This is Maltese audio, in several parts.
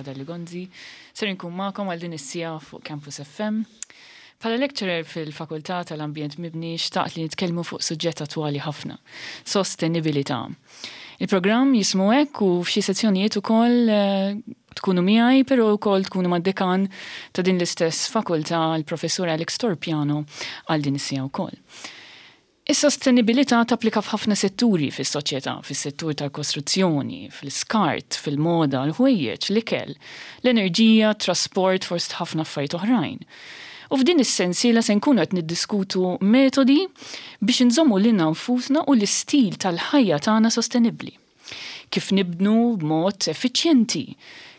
Dalli Gonzi, ser inkun magħkom għal din is-siegħa fuq Campus FM. Bħala lecturer fil-Fakultà tal-Ambjent Mibni xtaqt li nitkellmu fuq suġġett attwali ħafna, sostenibilità. Il-programm jismu hekk u f'xi sezzjonijiet ukoll tkunu miegħi però wkoll tkunu mad-dekan ta' din l-istess fakultà l-Professur Alex Torpiano għal din is-siegħa wkoll. Is-sostenibilità tapplika f'ħafna setturi fis-soċjetà, fis-settur tal-kostruzzjoni, fl-iskart, fil-moda, l-ħwejjeġ, l-ikel, l-enerġija, t-trasport fost ħafna affarijiet oħrajn. U f'din is-sensiela se nkunu qed niddiskutu metodi biex inżommu lilna nfusna u l-istil tal-ħajja tagħna sostenibbli. Kif nibnu b'mod effiċjenti?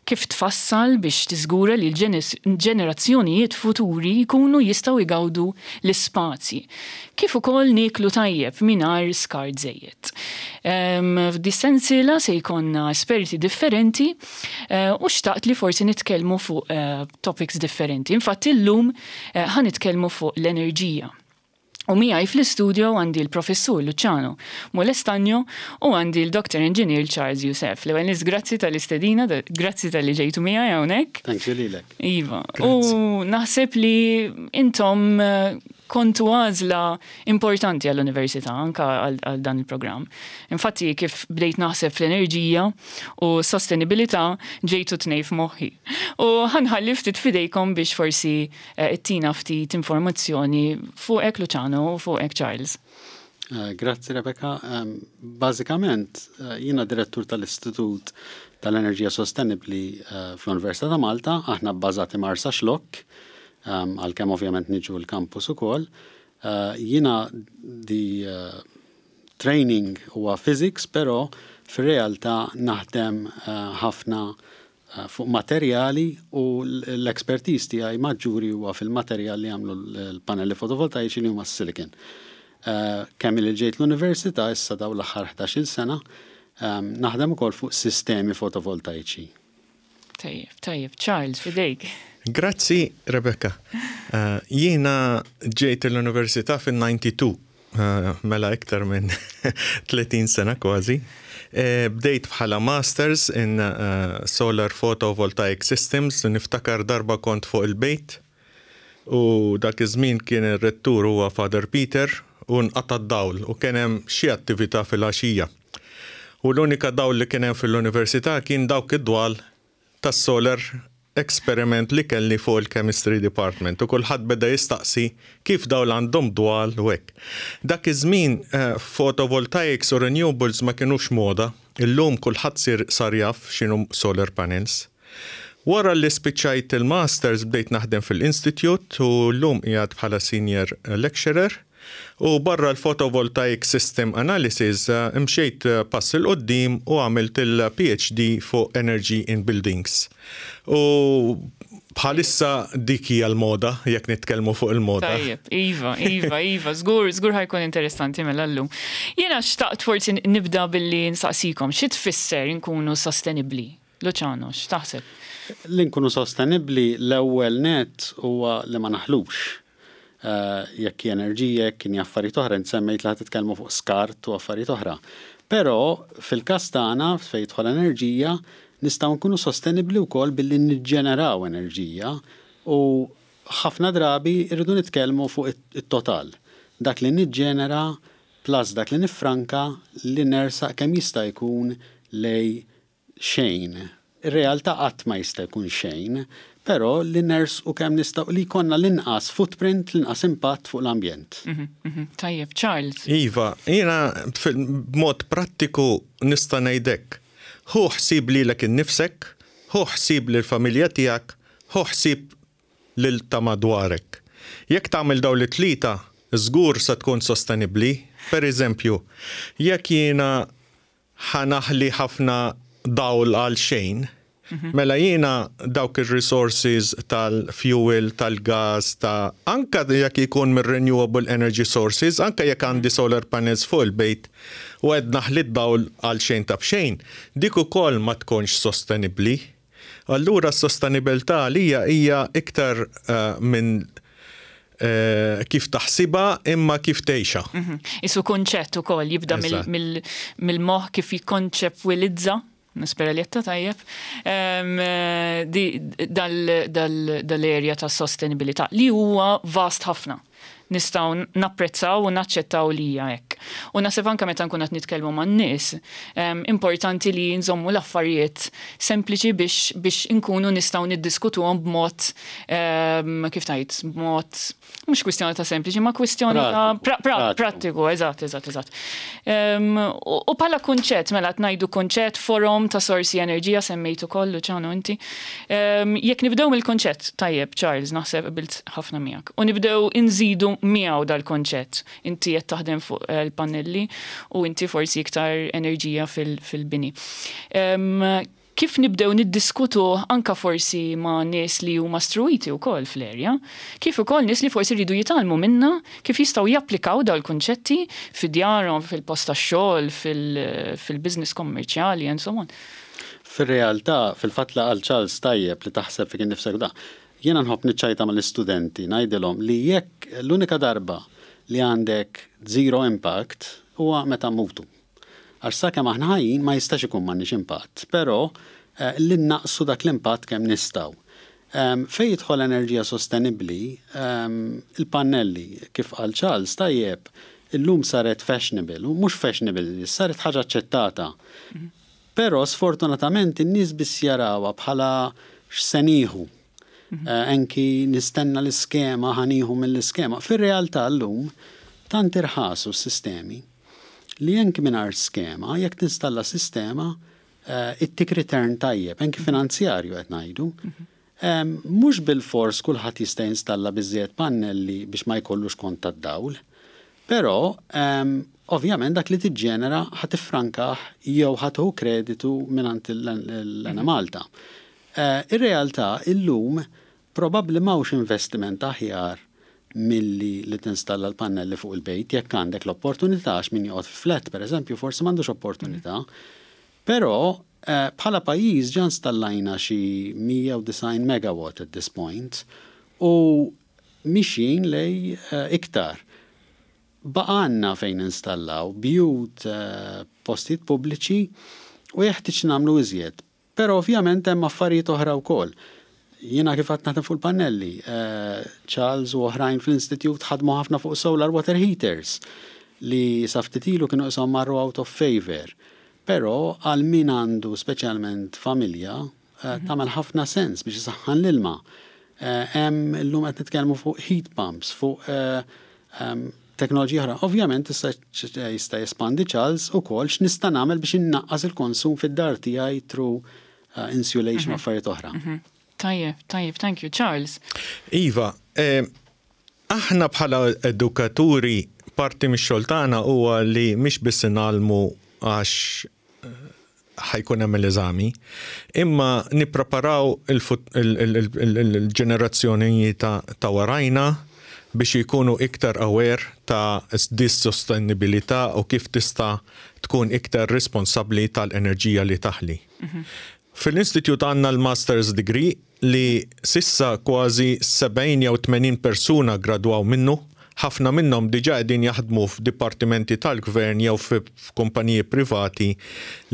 Kif tfassal biex tiżgura li l-ġenerazzjonijiet futuri jkunu jistgħu jgawdu l-ispazji? Kif ukoll nieklu tajjeb mingħajr skart żejjed? F'dis-sensiela se jkollna esperti differenti u xtaqt li forsi nitkellmu fuq topics differenti. Infatti llum ħa nitkellmu fuq l-enerġija. U miegħi fl-istudio għandi l-Professur Luciano Molestagno u għandi l-Dr. Engineer Charles Youssef. L-ewwel nies grazzi tal-istedina, grazzi talli ġejtu miegħi hawnhekk. Thank you lilek. Iva. U naħseb li intom kontu għażla importanti għall-università anka għal dan il-programm. Infatti kif bdejt naħseb fl-enerġija u sostenibilità ġejtu tnej f'moħħi. U ħa nħalli ftit f'idejkom biex forsi Ittina ftit informazzjoni fuqek Luciano u fuqek Charles. Grazzi Rebecca. Bażikament jiena direttur tal-Istitut tal-Enerġija Sostenibbli fl-Università ta' Malta, aħna bbażati Marsaxlokk, għalkemm ovvjament niġu l-campus ukoll. Jiena di training huwa physics, però fir-realtà naħdem ħafna fuq materjali u l-expertise tiegħi maġġuri huwa fil-materjal li jagħmlu l-pannelli fotovoltaiċi li huma s-silicon. Kemm ili ġejt l-università issa dawn l-aħħar 11-il sena naħdem ukoll fuq sistemi fotovoltaiċi. Tajjeb, tajjeb. Charles, f'idejk. Grazzi, Rebecca. Jiena ġejt l-università fin-92 Mela iktar minn 30 sena kważi. Bdejt bħala Masters in Solar Photovoltaic Systems, niftakar darba kont fuq il-bejt u dak iż-żmien kien ir-rettur huwa Father Peter u nqata' d-dawl u kien hemm xi attività filgħaxija. U l-unika dawl li kien hemm fil-università kien dawk id-dwal tas-solar experiment li kelli fuq il-chemistry department u kulħadd beda jistaqsi kif dawn għandhom dwal u hekk. Dak iż-żmien photovoltaics u renewables ma kinux moda, illum kulħadd sir sar jaf x'inhu solar panels. Wara li spiċċajt il-masters bdejt naħdem fil-institute u llum qiegħed bħala senior lecturer. U barra l-photovoltaic system analysis, mxejt pass 'il quddiem u għamilt il-PhD fuq energy in buildings. U bħalissa dik hija l-moda, jekk nitkellmu fuq il-moda. Tajjeb, iva, iva, iva, żgur, żgur ħa jkun interessanti mela llum. Jiena xtaqt forsi nibda billi nsaqsikom, xi tfisser inkunu sostenibbli? Luciano, x'taħseb? Li nkunu sostenibbli l-ewwel nett huwa li ma naħlux. Jekk hi enerġija, jekk hi affarijiet oħra, int semmejt li ħa titkellmu fuq skart u affarijiet oħra. Però fil-każ tagħna fejn jidħol enerġija, nistgħu nkunu sostenibbli wkoll billi niġġeneraw enerġija u ħafna drabi rridu nitkellmu fuq it-total. Dak li niġġenera plus dak li niffranka li nersaq kemm jista' jkun lejn xejn. Ir-realtà qatt ma jista' jkun xejn, però li nersqu kemm nistgħu li jkollna l-inqas footprint, l-inqas impatt fuq l-ambjent. Tajjeb, Charles. Iva, jiena b'mod prattiku nista' ngħid hekk. Ħu ħsieb lilek innifsek, ħu ħsieb lill-familja tiegħek, ħu ħsieb lil ta' madwarek. Jekk tagħmel dawn it-tlieta, żgur se tkun sostenibbli. Per eżempju, jekk jiena ħa naħli ħafna dawl għal xejn, mela jiena dawk ir-resources tal-fuel, tal-gas, ta' anke jekk ikun mir-renewable energy sources, anke jekk għandi solar panels fuq il-bejt u qed naħli d-dawl għal xejn ta' b'xejn, dik ukoll ma tkunx sostenibbli. Allura s-sostenibilità għalija hija iktar minn kif taħsibha imma kif tgħixha. Isu kunċett ukoll jibda mill-moħħ kif jikkonċepwilizza. Nispera li għedtha tajjeb, dal-area ta' sostenibilità li huwa vast ħafna. Nistgħu napprezzaw u naċċettaw li hija hekk. U naħseb anke meta nkunu qed nitkellmu man-nies, importanti li nżommu l-affarijiet sempliċi biex inkunu nistgħu niddiskutuhom b'mod, kif tgħid, b'mod mhux kwistjoni ta' sempliċi, ma kwistjoni ta' prattiku, eżatt, eżatt, eżatt. U bħala kunċett, mela qed ngħidu kunċett, forom ta' sorsi enerġija semmejtu ukoll, Luciano, inti. Jekk nibdew mill-kunċett, tajjeb, Charles, naħseb qbilt ħafna miegħek. U nibdew inżidu miegħu dal-kunċett. Inti qed taħdem fuq il-pannelli u inti forsi iktar enerġija fil-bini. Kif nibdew niddiskutuh anke forsi ma' nies li huma struwiti wkoll fl-area, kif ukoll nies li forsi jridu jitgħallmu minna kif jistgħu japplikaw dawn il-kunċetti fi djarhom, fil-post tax-xogħol, fil-business kommerċjali and so on. Fir-realtà, fil-fatt li qal Charles tajjeb li taħseb fik innifsek u da, jiena nħobb niċċajta mal-istudenti ngħidilhom li jekk l-unika darba li għandek zero impact huwa meta mmutu. Għax sakemm aħna ħajjin ma jistax ikun m'għandniex impatt, però li nnaqqsu dak l-impatt kemm nistgħu. Fejn jidħol enerġija sostenibbli, il-pannelli, kif qal Charles tajjeb, illum saret fashionable, u mhux fashionable, saret ħaġa aċċettata. Però sfortunatament in-nies biss jarawha bħala x'se nieħu. Anki nistenna l-iskema, ħa nieħu mill-iskema. Fir-realtà llum tant irħasu s-sistemi li anki mingħajr skema, jekk tinstalla sistema, ittik return tajjeb, anki finanzjarju qed ngħidu. Mhux bilfors kulħadd jista' jinstalla biżżejjed pannelli biex ma jkollux kont tad-dawl, però ovvjament dak li tiġġenera ħa tiffrankah jew ħa tieħu kreditu mingħand l-Enemalta. Ir-realtà illum probabbli m'hawnx investiment aħjar milli li tinstalla l-pannelli fuq il-bejt jekk għandek l-opportunità għax min joqgħod fi flat pereżempju forsi m'għandux opportunità. Però bħala pajjiż ġa installajna xi 190 megawatt at this point u mixjin lej iktar. Baqgħalna fejn ninstallaw, bjut, postijiet pubbliċi u jeħtieġ nagħmlu iżjed. Però ovvjament hemm affarijiet oħra wkoll. Jiena kif għadt naħdem fuq il-pannelli, Charles u oħrajn fl-Institute ħadmu ħafna fuq solar water heaters li sa ftit ilu kienu qishom marru out of favour. Però għal min għandu speċjalment familja tagħmel ħafna sens biex isaħħan l-ilma. Hemm illum qed nitkellmu fuq heat pumps, fuq teknoloġija oħra. Ovvjament issa jista' jespandi Charles ukoll x'nista' nagħmel biex innaqqas il-konsum fid-dar tiegħi through insulation u affarijiet oħra. Tajjeb, tajjeb, thank you. Charles. Iva, aħna bħala edukaturi parti mix-xogħol tagħna huwa li mhix biss ingħallmu għax ħa jkun hemm l-eżami, imma nippreparaw il-ġenerazzjoni ta' warajna biex jkunu iktar aware ta' dis sostenibilità u kif tista' tkun iktar responsabbli tal-enerġija li taħli. Fil-Institute għandna l-Master's Degree li s'issa kważi 70 jew 80 persuna gradwaw minnu, ħafna minnhom diġà qegħdin jaħdmu f'dipartimenti tal-gvern jew f'kumpaniji privati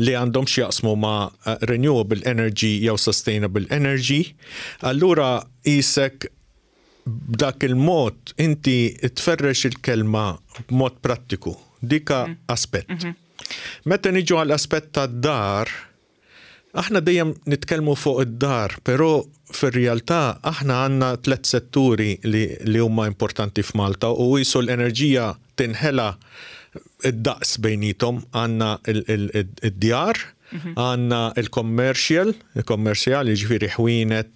li għandhom x'jaqsmu ma' renewable energy jew sustainable energy. Allura qisek b'dak il-mod inti tferrex il-kelma b'mod prattiku. Dika aspett. Meta niġu għall-aspett tad-dar, aħna dejjem nitkellmu fuq id-dar, però fir-realtà aħna għandna tlet setturi li huma importanti f'Malta u qisu l-enerġija tinħela id-daqs bejnietom. Għandna id-djar, għandna il-commercial, il-kommerċjali jiġifieri ħwienet,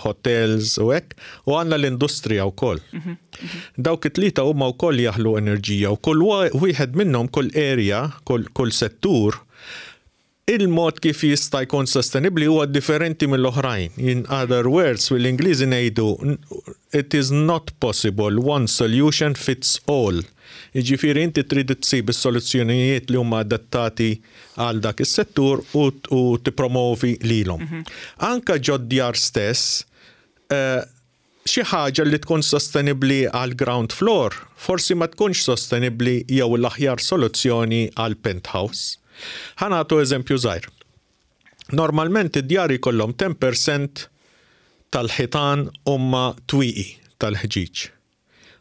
hotels u hekk, u għandna l-industrija wkoll. Dawk it-tlieta huma wkoll jaħlu enerġija u kull wieħed minnhom, kull area, kull settur, il-mod kif jista' jkun sostenibbli huwa differenti mill-oħrajn. In other words, fil-Ingliżi ngħidu it is not possible one solution fits all. Jiġifieri inti trid tsib is-soluzzjonijiet li huma adattati għal dak is-settur u tippromovi lilhom. Anka ġod-djar stess, xi ħaġa li tkun sostenibbli għal ground floor forsi ma tkunx sostenibbli jew l-aħjar soluzzjoni għal penthouse. Ħa nagħtu eżempju żgħir. Normalment id-djar jkollhom 10% tal-ħitan huma twieqi tal-ħġieġ.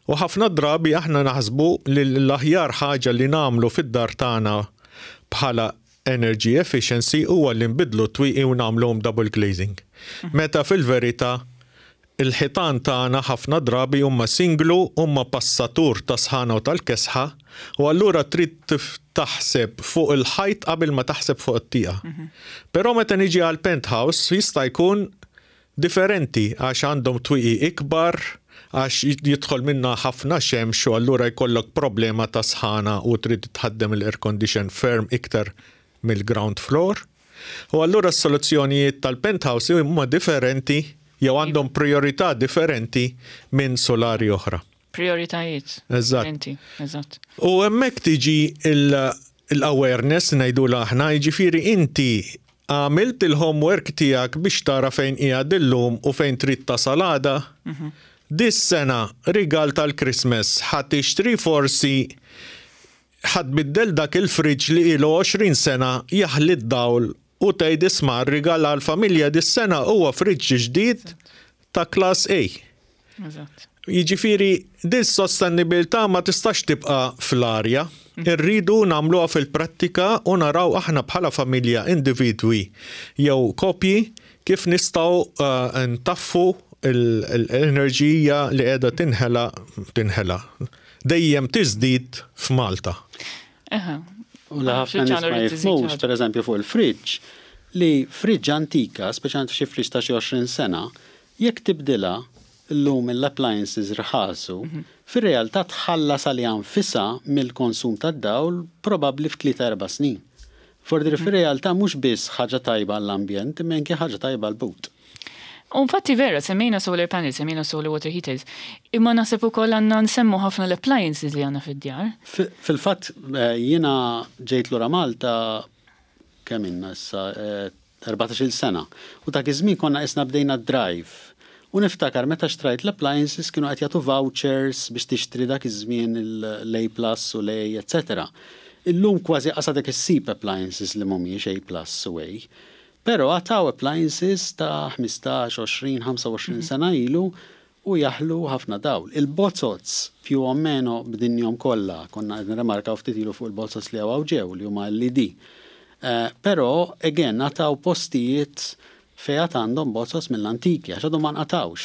U ħafna drabi aħna naħsbu li l-aħjar ħaġa li nagħmlu fid-dar tagħna bħala energy efficiency huwa li nbiddlu t-twieqi u nagħmluhom double glazing. Meta fil-verità il-ħitan tagħna ħafna drabi huma singlu, huma passatur ta' sħana u tal-kesħa u allura trid taħseb fuq il-ħajt qabel ma taħseb fuq it-tieqa. Però meta niġi għal penthouse jista' jkun differenti għax għandhom twieqi ikbar, għax jidħol minnha ħafna xemx u allura jkollok problema ta' sħana u trid tħaddem l-air condition ferm iktar mill-ground floor. U allura s-soluzzjonijiet tal-penthouse huma differenti jew għandhom priorità differenti minn solari oħra. Prioritajiet. Eżatt. Differenti, eżatt. U hemmhekk tiġi l-awareness ngħidulha aħna, jiġifieri inti għamilt il-homework tiegħek biex tara fejn qiegħed illum u fejn trid tasal għada. Dis-sena rigal tal-Christmas ħa tixtri forsi ħa tbiddel dak il-fridge li ilu 20 sena jaħli d-dawl u tgħid isma' r-rigal għall-familja dis-sena huwa fridge ġdid ta' class A. Eżatt. Jiġifieri dis-sostenibilità ma tistax tibqa' fl-arja. Irridu nagħmluha fil-prattika u naraw aħna bħala familja, individwi jew koppji kif nistgħu ntaffu l-enerġija li qiegħda tinħela tinħela dejjem tiżdied f'Malta. Eħe. U li ħafna nies ma jifhmux, pereżempju fuq il-fridge, li fridge antika, speċjalment f'xi fridge ta' xi 20 sena, jekk tibdilha llum l-appliances rħasu, fir-realtà tħallas għaliha nfisha mill-konsum tad-dawl probabbli f'tlieta erba' snin. Fordiri fir-realtà mhux biss ħaġa tajba għall-ambjent imma anke ħaġa tajba għall-but. U infatti vera, semmejna solar panels, semmejna solar water heaters, imma naħseb ukoll għandna nsemmu ħafna l-appliances li għandna fid-djar. Fil-fatt jiena ġejt lura Malta kemm ilna issa 14-il sena u dak iż-żmien konna qisna bdejna d-drive u niftakar meta xtrajt l-appliances kienu qed jagħtu vouchers biex tixtri dak iż-żmien l-A plus u l-A etc. Illum kważi qas għadek issib appliances li mhumiex A plus u A. Però għad hawn appliances ta' 15, 20, 25 sena ilu u jaħlu ħafna dawl. Il-bozoz più o meno b'dinjhom kollha, konna qed nirrimarkaw ftit ilu fuq il-bozoz li hawn ġew li huma LED. Però again għad hawn postijiet fejn għad għandhom bozoz mill-antiki għax għadhom ma nqatgħux.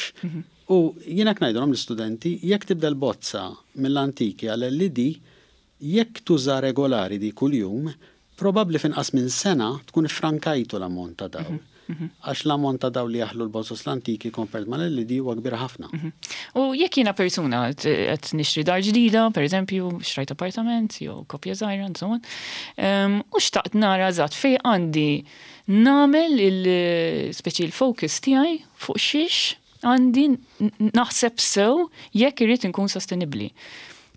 U jien hekk ngħidilhom l-istudenti, jekk tibdel bozza mill-antiki għal LED, Jekk tuża regolari di kuljum, probabbli f'inqas minn sena tkun iffrankajtu l-ammont ta' dawl. Għax l-ammont ta' dawl li jaħlu l-bozoz l-antiki compared mal-LED huwa kbir ħafna. U jekk jiena persuna qed nixtri dar ġdida, per eżempju, xtrajt appartament jew koppja żgħira and so on, u xtaqt nara eżatt fejn għandi nagħmel il-speċi l-focus tiegħi fuq xiex għandi naħseb sew jekk irrid inkun sostenibbli.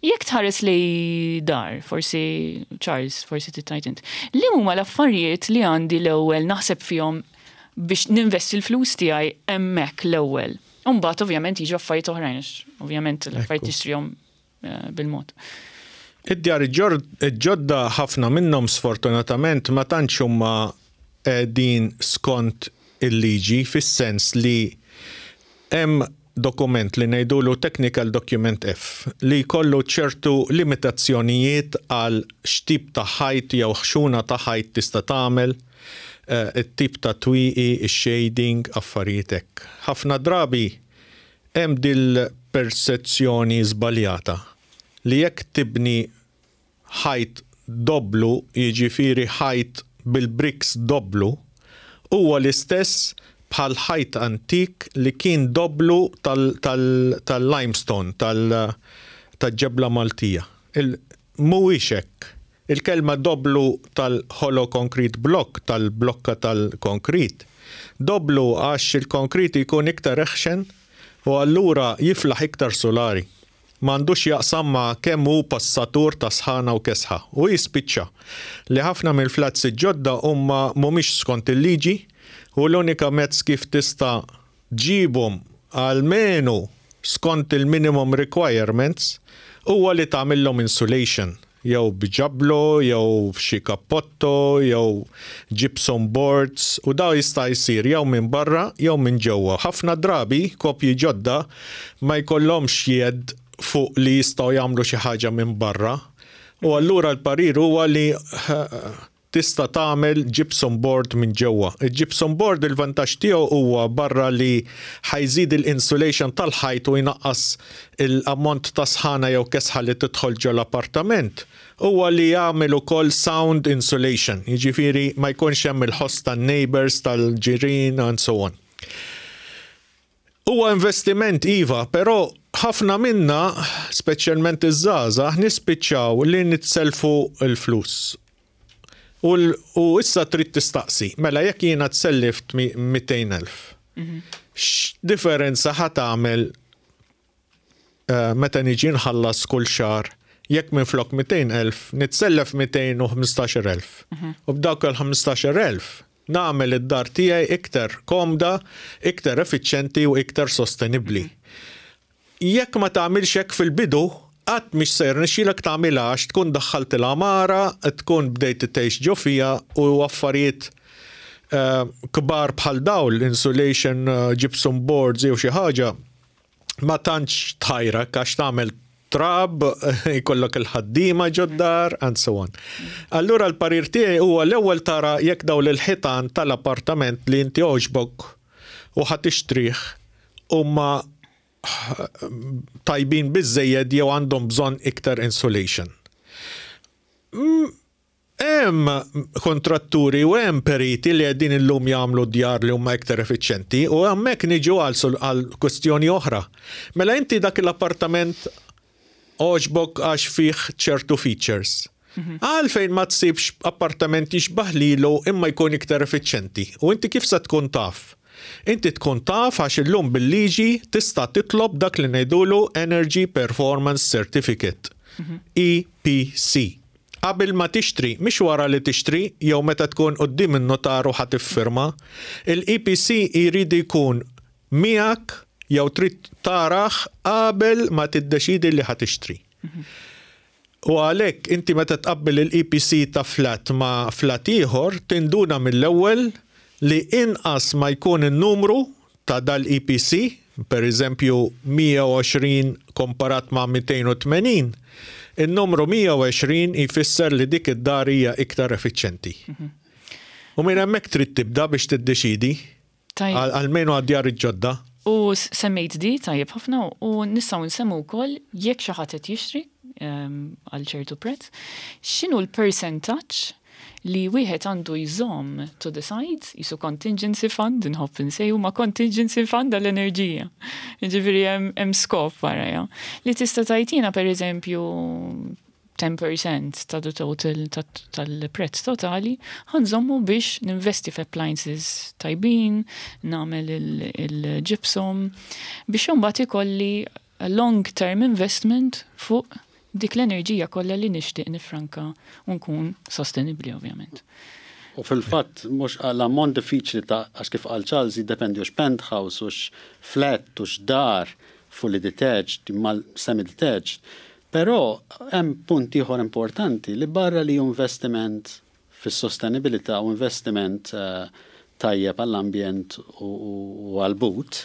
Jekk tħares lejn dar, forsi Charles, forsi tittajt int, li huma l-affarijiet li għandi l-ewwel naħseb fihom biex ninvesti l-flus tiegħi hemmhekk l-ewwel. U mbagħad ovvjament jiġu affarijiet oħrajn, għax ovvjament l-affarijiet tixtrihom bil-mod. Id-djar ġodda ħafna minnhom sfortunatament ma tantx huma qegħdin skont il-liġi fis-sens li hemm dokument li ngħidulu Technical Document F li jkollu ċertu limitazzjonijiet għal x'tip ta' ħajt jew ħxuna ta' ħajt tista' tagħmel, it-tip ta' twieqi, ix-shading, affarijiet hekk. Ħafna drabi hemm dil-persezzjoni żbaljata li jekk tibni ħajt dobblu, jiġifieri ħajt bil-bricks dobblu, huwa l-istess bħal ħajt antik li kien dobblu tal-limestone, tal-ġebla Maltija. Mhuwiex hekk. Il-kelma dobblu tal-hollow concrete block, tal-blokka tal-konkrit, dobblu għax il-konkrit jkun iktar eħxen u allura jiflaħ iktar sulari. M'għandu x'jaqsam ma' kemm hu passatur ta' sħana u kesħa. U jispiċċa li ħafna mill-flats il-ġodda huma mhumiex skont il-liġi u l-unika mezz kif tista' ġġibhom almenu skont il-minimum requirements huwa li tagħmilhom insulation. Jew b'ġablo, jew f'xi kappotto, jew gypsum boards, u daw jista' jsir jew minn barra jew minn ġewwa. Ħafna drabi kopji ġodda ma jkollhomx jedd fuq li jistgħu jagħmlu xi ħaġa minn barra. U allura l-parir huwa li Tista' tagħmel gypsum board minn ġewwa. Il-gypsum board il-vantaġġ tiegħu huwa barra li ħa jżid il-insulation tal-ħajt u jnaqqas l-ammont ta' sħana jew kesħa li tidħol ġol-appartament, huwa li jagħmel ukoll sound insulation, jiġifieri ma jkunx hemm il-ħoss tan-neighbours, tal-ġirien and so on. Huwa investiment iva, però ħafna minna, speċjalment iż-żgħażagħ, nispiċċaw li nitsellfu l-flus. U, u issa trid tistaqsi, mela jekk jiena tsellift 200,000, x'differenza ħa tagħmel eh, meta niġi nħallas kull xahar jekk minflok 200,000 nitsellef 215,000. U b'dawk il-15,000 Nagħmel id-dar tiegħi iktar komda, iktar effiċjenti u iktar sostenibbli. Jekk ma tagħmilx hekk fil-bidu, qatt mhix se jirnexxilek tagħmilha għax tkun daħħalt il-għamara, tkun bdejt tgħix ġo fiha u affarijiet kbar bħal dawl, insulation, gypsum boards jew xi ħaġa, ma tantx tħajrak għax tagħmel trab, jkollok il-ħaddiema ġod-dar, and so on. Allura l-parir tiegħi huwa l-ewwel tara jekk dawn il-ħitan tal-appartament li inti għoġbok u ħa tixtrih huma tajbin biżżejjed jew għandhom bżonn iktar insulation. Hemm kontratturi u hemm periti li qegħdin illum jagħmlu djar li huma iktar effiċjenti u hemmhekk niġu għal kwestjoni oħra. Mela inti dak l-appartament għoġbok għax fih ċertu features. Għalfejn ma tsibx appartament jixbah lilu imma jkun iktar effiċjenti? U inti kif se tkun taf? Inti tkun taf għax illum bil-liġi tista' titlob dak li ngħidulu Energy Performance Certificate, EPC. Qabel ma tixtri, mhix wara li tixtri jew meta tkun quddiem in-nutar u ħa tiffirma. Il-EPC jrid jkun miegħek jew trid tarah qabel ma tiddeċiedi li ħa tixtri. U għalhekk inti meta tqabbel il-EPC ta' flat ma' flat ieħor tinduna mill-ewwel li inqas ma jkun in-numru ta' dal-EPC, per eżempju 120 komparat ma' 280, in-numru 120 jfisser li dik id-dar hija iktar effiċjenti. U minn hemmhekk trid tibda biex tiddeċiedi, almenu għad-djar il-ġodda. U semmejt di tajjeb ħafna u nistgħu nsemmu wkoll jekk xi ħadd qed jixtri għal ċertu prezz, x'inhu l-persentaġġ li wieħed għandu jżomm to the side, jisu contingency fund, inħobb insejħu ma contingency fund għall-enerġija. Ġifieri hemm skop wara, li tista' tajtina per eżempju 10% ta' the total tal-prezz totali ħa nżommu biex ninvesti f'appliances tajbin, nagħmel il-gypsum, biex imbagħad ikolli long term investment fuq dik l-enerġija kollha li nixtieq nifranka u nkun sostenibbli, ovvjament. U fil-fatt mhux l-ammont diffiċli ta' għax kif qal Charles jiddependi hux penthouse, hux flat, hux dar, fully detached, mal semi-detached. Però hemm punt ieħor importanti li barra li investiment fis-sostenibilità u investiment tajjeb għall-ambjent u għall-but,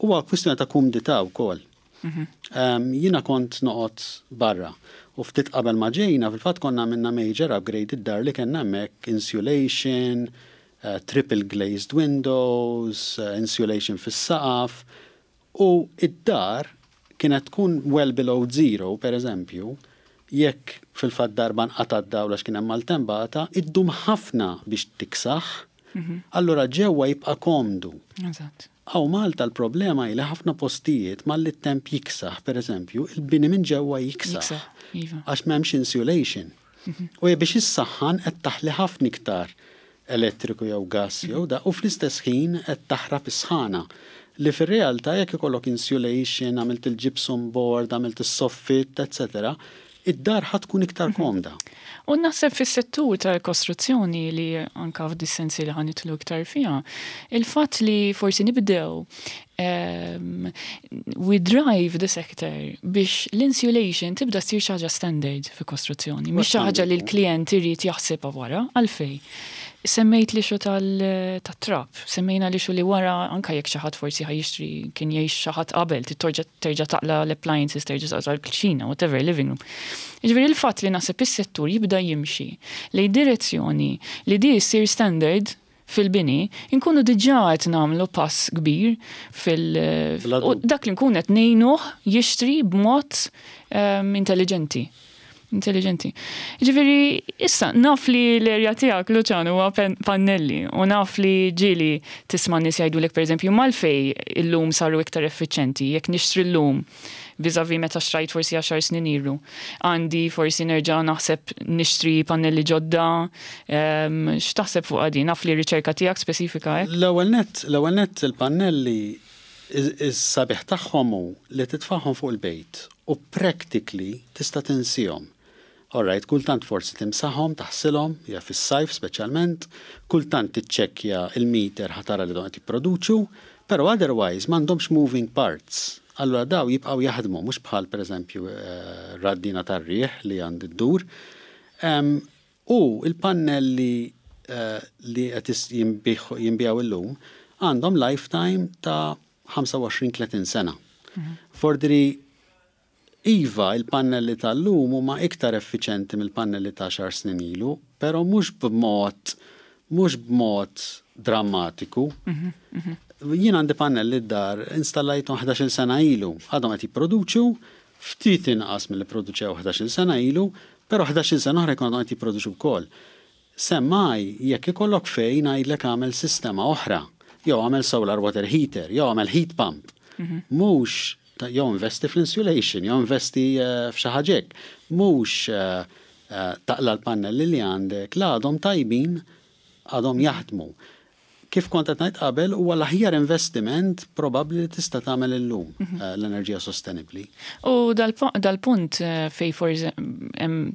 huwa kwistjoni ta' kumdità wkoll. Jiena kont noqgħod barra u ftit qabel ma ġejna fil-fatt konna għamilna major upgrade id-dar li kellna hemmhekk, insulation, triple glazed windows, insulation fis-saqaf u id-dar kienet tkun well below zero, per eżempju, jekk fil-fatt darba nqata' d-dawl għax kien hemm maltempata, iddum ħafna biex tiksaħ, allura ġewwa jibqa' komdu. Hawn Malta l-problema hi li ħafna postijiet malli t-temp jiksaħ, per eżempju, il-bini minn ġewwa jiksaħ. Għax m'hemmx insulation. U biex issaħħan qed taħli ħafna iktar elettriku jew gas jew da u fl-istess ħin qed taħrab is-sħana. Li fir-realtà jekk ikollok insulation, għamilt il-gypsum board, għamilt is-soffit, etc., id-dar ħa tkun iktar komda. U naħseb fis-settur tal-kostruzzjoni li anka f'dis-sensi li ħa nidħlu iktar fiha, il-fatt li forsi nibdew We drive the sector biex l-insulation tibda ssir xi ħaġa standard fi kostruzzjoni, mhix xi ħaġa li l-klijent irid jaħsibha wara, għalfejn. Semmejt l-issue tat-trab, semmejna l-issue li wara anke jekk xi ħadd forsi ħa jixtri kien jgħix xi ħadd qabel, trid terġa' taqla' l-appliances, terġa' taqla' l-kċina, whatever, living room. Jiġifieri l-fatt li naħseb is-settur jibda jimxi lejn direzzjoni li di ssir standard fil-bini, inkunu diġà qed nagħmlu pass kbir fil- u dak li nkun qed ngħinuh jixtri b'mod intelligenti. Intelligenti. Ġifieri, issa, naf li l-erja tiegħek, Luciano, huwa pannelli u naf li ġieli tisma' nies jgħidulek pereżempju m'għalfejn illum saru iktar effiċjenti, jekk nixtri llum vis-à-vis meta xtrajt forsi għaxar snin ilu. Għandi forsi nerġa' naħseb nixtri pannelli ġodda. X'taħseb fuqha din? Naf li r-riċerka tiegħek spesifika hekk. L-ewwel nett, l-ewwel nett il-pannelli is-sabiħ tagħhom hu li titfagħhom fuq il-bejt u practically tista' tinsihom. All right, kultant forsi timsaħhom, taħsilhom, hija fis-sajf speċjalment, kultant tiċċekkja il-meter ħa tara li dawn qed jipproduċu, però otherwise m'għandhomx moving parts. Allura daw jibqgħu jaħdmu mhux bħal pereżempju raddina tar-riħ li għandi ddur. U il-pannelli li qed jinbiegħu illum għandhom lifetime ta' 25-30 sena. Fordri Iva, il-pannelli tal-lum huma iktar effiċenti mill-pannelli ta' għaxar snin ilu, però mhux b'mod mhux b'mod drammatiku. Jien għandi pannelli d-dar installajthom 11-il sena ilu, għadhom qed jipproduċu ftit inqas milli pproduċew 11-il sena ilu, però 11-il sena oħra jkunu għadhom qed jipproduċu wkoll. Semmai, jekk ikollok fejn ngħidlek agħmel sistema oħra, jew agħmel solar water heater, jew agħmel heat pump. Mhux jew investi fl-insulation, jew investi f'xi ħaġa hekk. Mhux taqla' l-pannelli li għandek, la għadhom tajbin, għadhom jaħdmu. Kif kont qed ngħid qabel, huwa l-aħjar investiment probabbli li tista' tagħmel illum l-enerġija sostenibbli. U dal-punt fej forsi hemm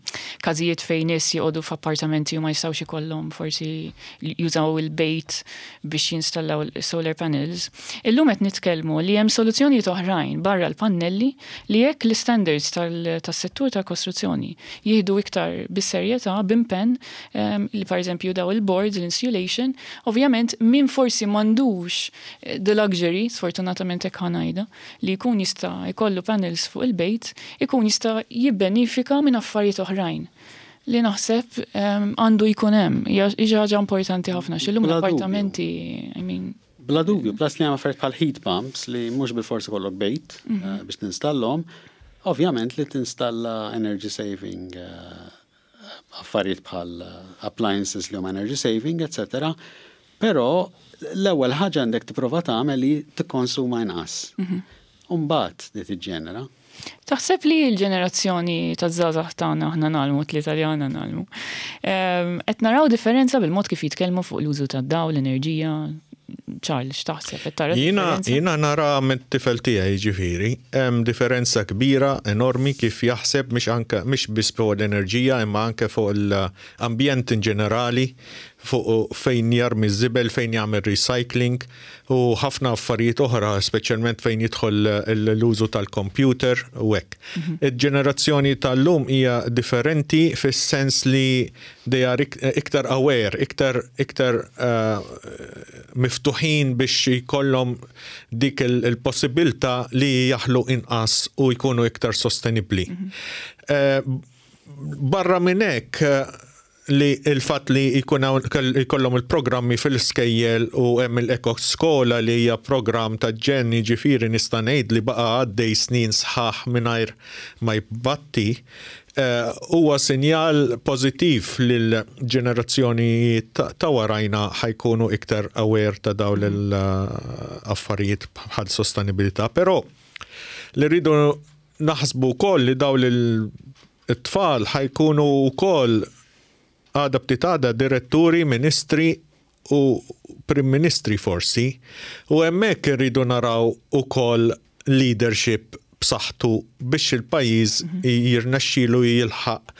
każijiet fejn nies joqogħdu f'appartamenti u ma jistgħux ikollhom forsi jużaw il-bejt biex jinstallaw solar panels. Illum qed nitkellmu li hemm soluzzjonijiet oħrajn barra l-pannelli li jekk l-istandards tas-settur tal-kostruzzjoni jieħdu iktar bis-serjetà, b'impenn, li pereżempju daw il-boards, l-insulation, ovvjament min forsi m'għandux the luxury, sfortunatament hekk ħa ngħidha, li jkun jista' jkollu panels fuq il-bejt, ikun jista' jibbenifika minn affarijiet oħrajn li naħseb għandu jkun hemm. Hija xi ħaġa importanti ħafna x'illum l-appartamenti, I mean. Bla dubju, plus li hemm affarijiet bħal heat pumps li mhux bilfors ikollok bejt biex tinstallhom, ovvjament li tinstalla energy saving affarijiet bħal appliances li huma energy saving, etc. Però l-ewwel ħaġa għandek tipprova tagħmel li tikkonsuma inqas. U mbagħad li tiġġenera. Taħseb li l-ġenerazzjoni ta' żgħażagħ tagħna aħna ngħallmu tlieta li għandna ngħallmu. Qed naraw differenza bil-mod kif jitkellmu fuq l-użu tad-dawl, l-enerġija. Charles, x'taħseb? Qed tara differenza? Jiena nara mit-tifel tiegħi jiġifieri, hemm differenza kbira enormi kif jaħseb mhix anke mhix biss fuq l-enerġija imma anke fuq l-ambjent in ġenerali, fuq fejn jarmi ż-żibel, fejn jagħmel recycling u ħafna affarijiet oħra, speċjalment fejn jidħol l-użu tal-computer u hekk. Il-ġenerazzjoni tal-lum hija differenti fis-sens li they are iktar aware, iktar iktar miftuħin biex jkollhom dik il-possibilità li jaħlu inqas u jkunu iktar sostenibbli. Barra minn hekk, li l-fatt li jkun hawn jkollhom il-programmi fil-iskejjel u hemm il-Eko Skola li hija programm ta' ġenn jiġifieri nista' ngħid li baqa' għaddej snin sħaħ mingħajr ma jbatti huwa sinjal pożittiv li l-ġenerazzjoni ta' warajna ħa jkunu iktar aware ta' dawn l-affarijiet bħal sostenibilità. Però li rridu naħsbu wkoll li dawn It-tfal ħa jkunu wkoll għada ftit għada diretturi, ministri u prim ministri forsi, u hemmhekk irridu naraw ukoll leadership b'saħħtu biex il-pajjiż jirnexxilu jilħaq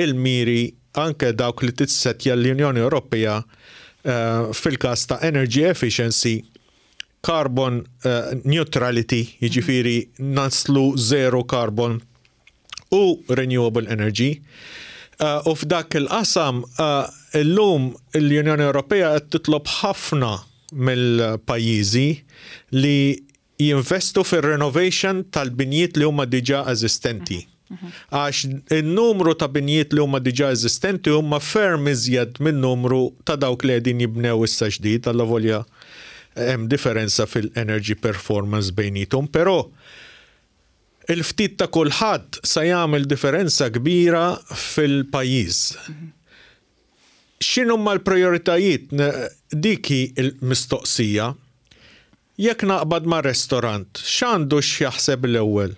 il-miri anke dawk li tissettja l-Unjoni Ewropea fil-każ ta' energy efficiency. carbon neutrality, jiġifieri naslu zero carbon u renewable energy. U f'dak il-qasam illum l-Unjoni Ewropea qed titlob ħafna mill-pajjiżi li jinvestu fir-renovation tal-binjiet li huma diġà eżistenti. Għax in-numru ta' binjiet li huma diġà eżistenti huma ferm iżjed min-numru ta' dawk li qegħdin jibnew issa ġdid, allavolja hemm differenza fil-energy performance bejniethom, però il-ftit ta' kulħadd sa jagħmel differenza kbira fil-pajjiż. X'inhuma l-prijoritajiet? Dik hi l-mistoqsija. Jekk naqbad ma' restorant, x'għandu x'jaħseb l-ewwel?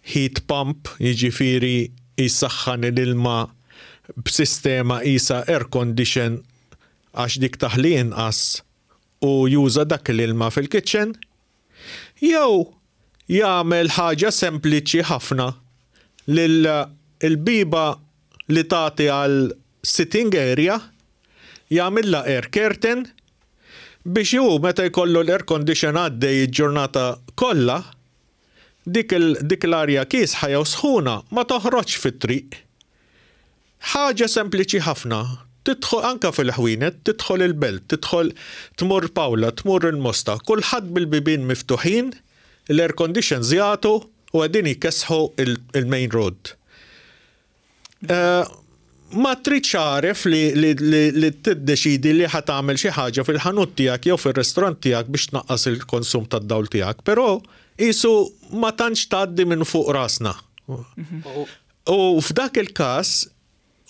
Heat pump, jiġifieri jsaħħan l-ilma b'sistema qisha air condition għax dik taħli inqas u juża dak l-ilma fil-kitchen? Jew jagħmel ħaġa sempliċi ħafna li l-bieba li tagħti għal sitting area jagħmilha air curtain biex hu meta jkollu l-air condition għaddej il-ġurnata kollha, dik dik l-arja kiesħa jew sħuna ma toħroġx fit-triq. Ħaġa sempliċi ħafna, tidħol anke fil-ħwienet, tidħol il-Belt, tidħol tmur Paola, tmur il-Mosta, kulħadd bil-bibien miftuħin, l-air conditions jagħtu u qegħdin jkessħu il-main road. Ma tridx għaref li, li, li, li tiddeċidi li ħa tagħmel xi ħaġa fil-ħanut tiegħek jew fir-restorant tiegħek biex tnaqqas il-konsum tad-dawl tiegħek, però qisu ma tantx tgħaddi minn fuq rasna. U f'dak il-każ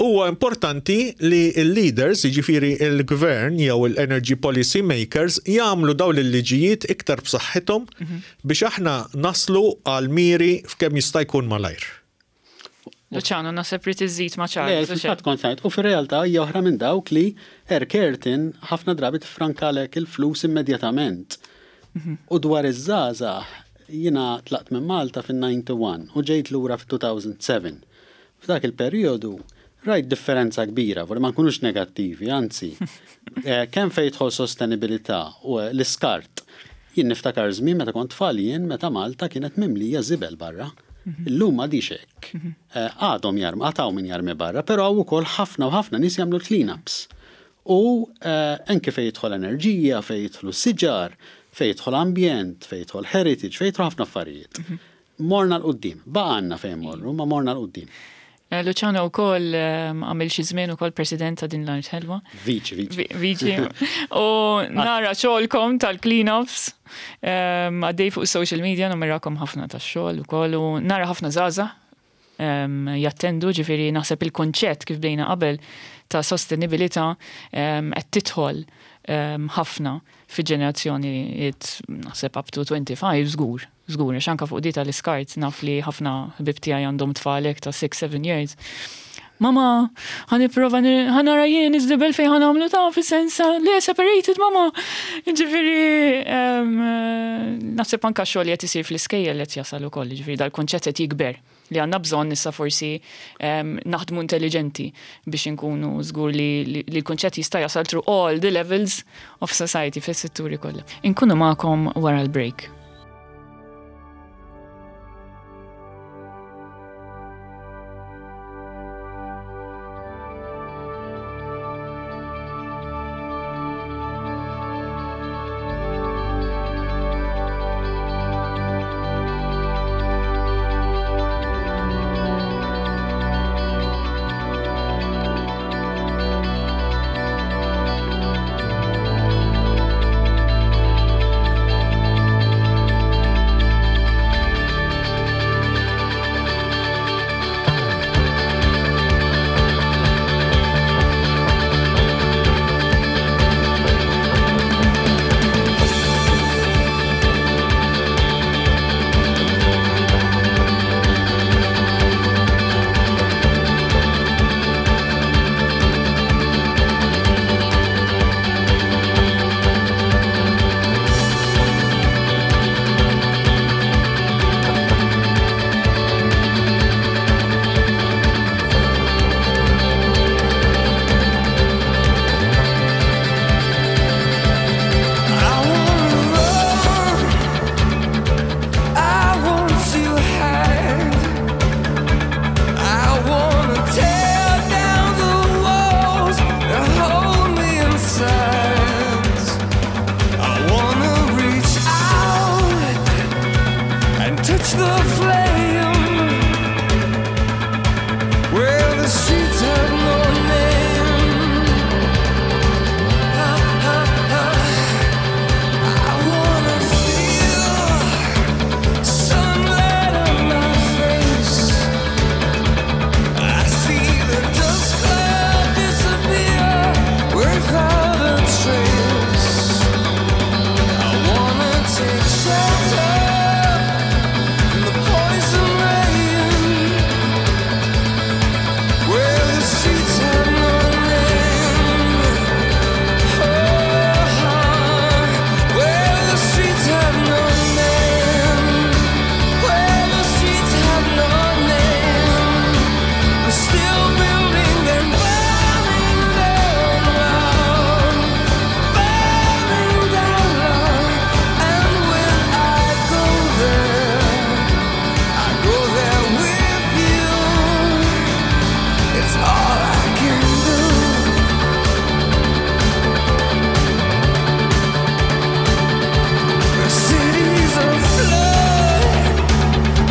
huwa importanti li l-leaders, jiġifieri l-gvern jew l-energy policy makers jagħmlu dawn il-liġijiet iktar b'saħħithom biex aħna naslu għal miri f'kemm jista' jkun malajr. Luciano, naħseb li tiżid ma' Charles. Le, fil-fatt kont ngħid, u fir-realtà hija oħra minn dawk li air curtain ħafna drabi tiffrankalek il-flus immedjatament. U dwar iż-żgħażagħ, jiena tlaqt minn Malta fin-91 u ġejt lura fit-2007. F'dak il-perjodu rajt differenza kbira, vorri ma nkunux negattivi, anzi, kemm fejn jidħol sostenibilità u l-iskart. Jien niftakar żmien meta kont tfal jien meta Malta kienet mimlija żibel barra. Illum m'għadhiex hekk. Għadhom jarmu, għad hawn min jarmi barra, però hawn ukoll ħafna u ħafna nies jagħmlu l-clean-ups. U anke fejn jidħol enerġija, fejn jidħlu siġar, fejn jidħol ambjent, fejn jidħol heritage, fejn jidħlu ħafna affarijiet. Morna 'l quddiem. Baqa' għandna fejn mmorru, imma morna 'l quddiem. Luciano wkoll għamil xi żmien ukoll president ta' din l-art ħelwa. Viċi, viċi. Viċi. U nara xogħolkom tal-clean-ups għaddej fuq social media numerakom ħafna tax-xogħol ukoll u nara ħafna żgħażagħ jattendu, ġifieri naħseb il-kunċett kif bdejna qabel ta' sostenibilità qed tidħol ħafna fi ġenerazzjonijiet naħseb up to 25 żgur. Żgur, għax anke fuq di tal-iskart naf li ħafna ħbieb tiegħi għandhom tfal hekk ta' 6, 7 years. Mama, ħa nipprova ħa nara jien iż-żibel fejn ħa nagħmlu ta' fis-sens le separated mama. Ġifieri naħseb anke x-xogħol li qed isir fl-iskejjel qed jasal ukoll, ġifieri dal-kunċett qed jikber li għandna bżonn issa forsi naħdmu intelliġenti biex inkunu żgur li l-kunċett jista' jasal through all the levels of society fis-setturi kollha. Inkunu magħkom wara l-break. Flame, where the streets have no name. I wanna feel sunlight on my face. I see the dust cloud disappear without a trace. I wanna take shelter from the poison rain, where the streets have no name. Oh, where the streets have no name, where the streets have no name. We're still building them, burning down love, burning down love. And when I go there, I go there with you. It's all I can do. The cities are flood,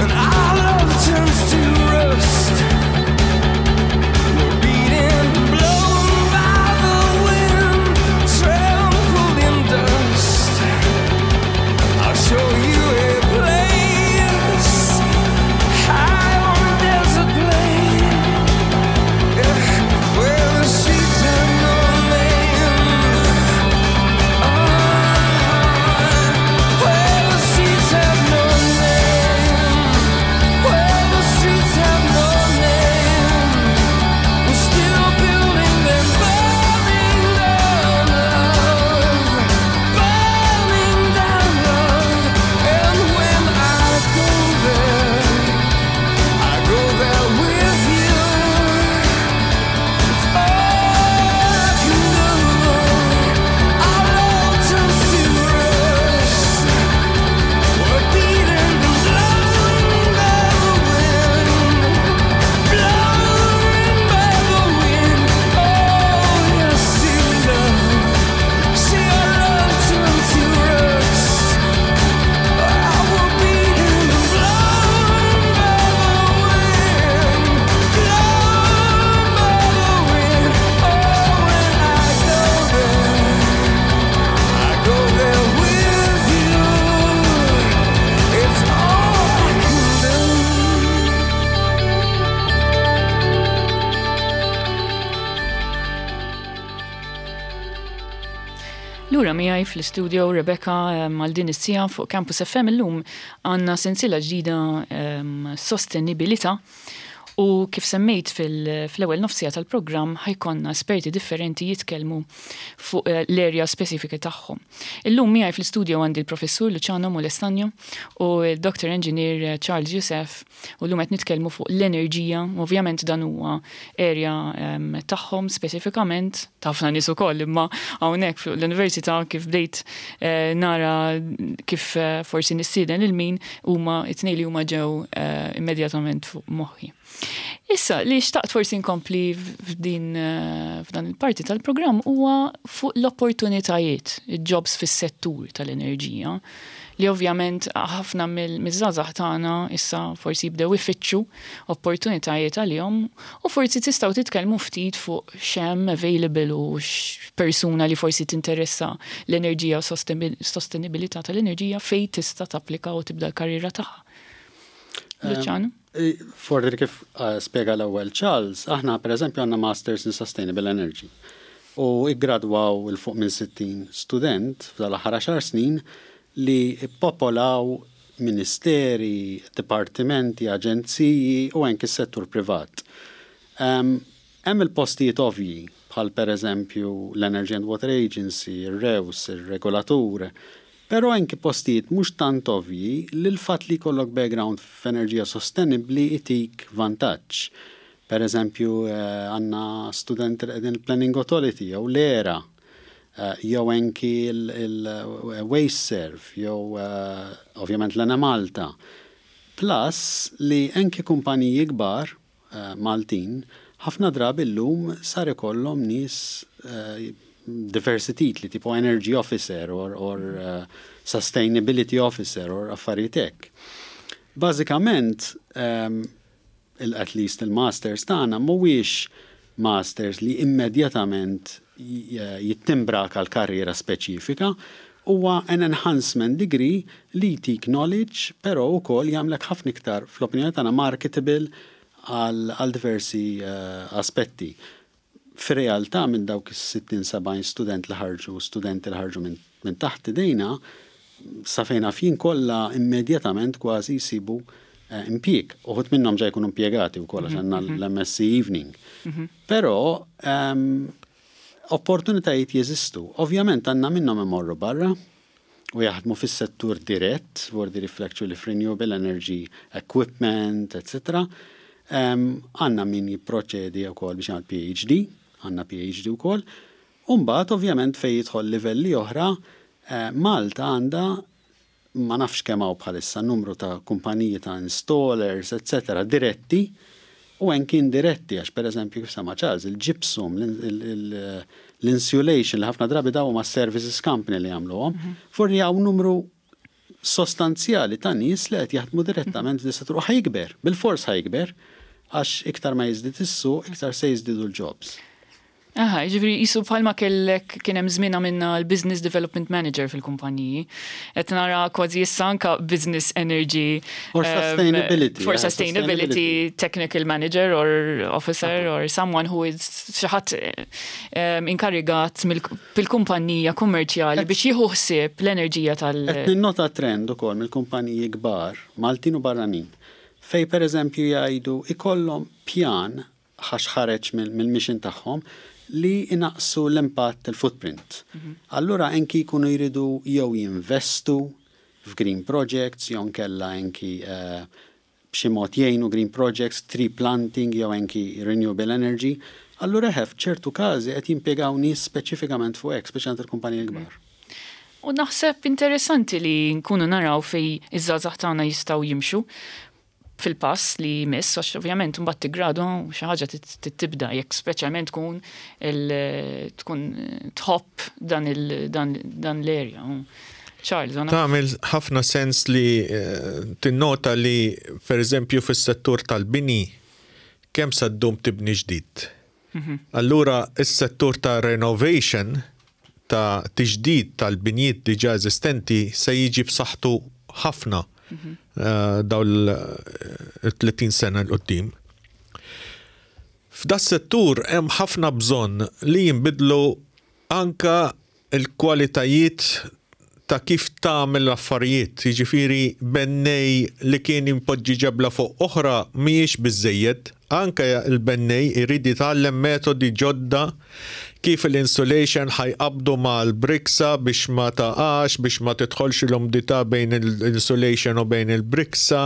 and our love turns to rust. We're beaten, blown by the wind, trampled in dust. I'll show you a place high on a desert plain, where the streets have no name. Where the streets have no name, where the streets have no name. We're still building them, burning down love, burning down love. And when I go there, I go there with you. It's all I can do. Our love turns to rust. We're beaten and blown by the wind, blown by the wind. Oh, yes, see love, see our love turn to rust. We're beaten and blown by the wind, blown by the wind. Oh, when I go there, I go there with you. It's all I can do. Lura miegħi fl-istudio Rebecca għal din is-siegħa fuq Campus FM. Illum għandna sensiela ġdida, sostenibilità, u kif semmejt fl-ewwel nofsija tal-programm, ħa jkollna esperti differenti jitkellmu fuq l-area specifika tagħhom. Illum miegħi fl-istudio għandi l-professur Luciano Molestagno u l-Dr. Engineer Charles Youssef, u llum qed nitkellmu fuq l-enerġija. Ovvjament dan huwa area tagħhom speċifikament, ta' ħafna nies ukoll, imma hawnhekk fuq l-università kif bdejt nara kif forsi nistieden lil min huma, it-tnejn li huma ġew immedjatament fuq moħħi. Issa li xtaqt forsi nkompli f'dan il-parti tal-programm huwa fuq l-opportunitajiet, il-jobs fis-settur tal-enerġija, li ovvjament ħafna mill-żgħażagħ tagħna issa forsi jibdew ifittxu opportunitajiet għalihom, u forsi tistgħu titkellmu ftit fuq x'hemm available u x'persuna li forsi tinteressa l-enerġija u sostenibilità tal-enerġija fejn tista' tapplika u tibda l-karriera tagħha. Luciano? Forsi kif spjega l-ewwel Charles, aħna per eżempju għandna Masters in Sustainable Energy. U iggradwaw 'il fuq minn 60 student f'dal-aħħar 10 snin li popolaw ministeri, dipartimenti, aġenziji u anki s-settur privat. Hemm il-postijiet ovvji, bħal per eżempju l-Energy and Water Agency, il-REWS, il-regolatur, pero anki postijiet mhux tant ovvji li l-fatt li jkollok background f'enerġija sostenibbli itik vantaġġ. Per eżempju, għandna studenti li qegħdin il-Planning Authority jew l-ERA, jew anki il-WasteServ, jew ovvjament l-Enemalta. Plus li anki kumpaniji kbar Maltin ħafna drabi llum sar ikollhom nies diversi titli tipo energy officer or sustainability officer or affarijiet hekk. Bażikament, at least il-masters tagħna mhuwiex masters li immedjatament jittimbrak għal karriera speċifika, huwa an enhancement degree li jtik knowledge, però wkoll jagħmlek ħafna iktar, fl-opinjoni tagħna, marketable għal diversi aspetti. Fir-realtà minn dawk is-60-70 student li ħarġu, studenti li ħarġu minn taħt idejna, sa fejn naf jien kollha immedjatament kważi jsibu impjieg. Uħud minnhom ġa jkunu impjegati wkoll għax għandna l-MSc Evening. Però opportunitajiet jeżistu. Ovvjament għandna minnhom imorru barra u jaħdmu fis-settur dirett, vordi actually f'renewable energy equipment, etc. Għandna min jipproċedi wkoll biex jagħmel PhD, għandna PhD wkoll. U mbagħad ovvjament fejn jidħol livelli oħra, Malta għandha, ma nafx kemm hawn bħalissa, numru ta' kumpaniji ta' installers, etc. diretti u anki indiretti, għax per eżempju kif sema Charles, il-gypsum, l-insulation li ħafna drabi daw ma' services company li jagħmluhom, forri hawn numru sostanzjali ta' nies li qed jaħdmu direttament f'dis-settur u ħa jikber, bil-fors ħa jikber, għax iktar ma jiżdied is-suq, iktar se jiżdiedu l-jobs. Aha, ġifieri jisu bħalma kellek kien hemm żmien għamilna l-Business Development Manager fil-kumpaniji. Qed nara kważi issa anka Business Energy. For sustainability. For sustainability technical manager or officer or someone who is xi ħadd inkarigat fil-kumpanija kummerċjali biex jieħu ħsieb l-enerġija tal- Qed ninnota trend ukoll mill-kumpaniji kbar, Maltin u barranin, fej pereżempju jgħidu ikollhom pjan għax ħareġ mill-mission tagħhom li inaqsu l-impatt, il-footprint. Allura anki jkunu jridu jew jinvestu f'green projects, jew nkella anki b'xi mod jgħinu green projects, tree planting jew anki renewable energy. Allura ċertu każi qed jimpjegaw nies speċifikament fuq hekk, speċjalment il-kumpaniji l-kbar. U naħseb interessanti li nkunu naraw fej iż-żgħażagħ tagħna jistgħu jimxu fil-pass li jmiss, għax ovvjament mbagħad tiggradu xi ħaġa tibda jekk speċjalment tkun tħobb dan l-area. Charles, għana. Tagħmel ħafna sens li tinnota li per eżempju fis-settur tal-bini kemm sa ddum tibni ġdid. Allura is-settur ta' renovation, ta' tiġdid tal-binjiet diġà eżistenti, se jiġi b'saħħtu ħafna daw l-30 sena 'l quddiem. F'da settur hemm ħafna bżonn li jinbidlu anka il-kwalitajiet ta' kif tagħmel l-affarijiet, jiġifieri bennej li kien impoġġi ġebla fuq oħra mhijiex biżejjed, anke il-bennej irid jitgħallem metodi ġodda kif l-insulation ħa jqabbdu mal-briksa biex ma taqax, biex ma tidħolx l-umdità bejn l-insulation u bejn il-briksa.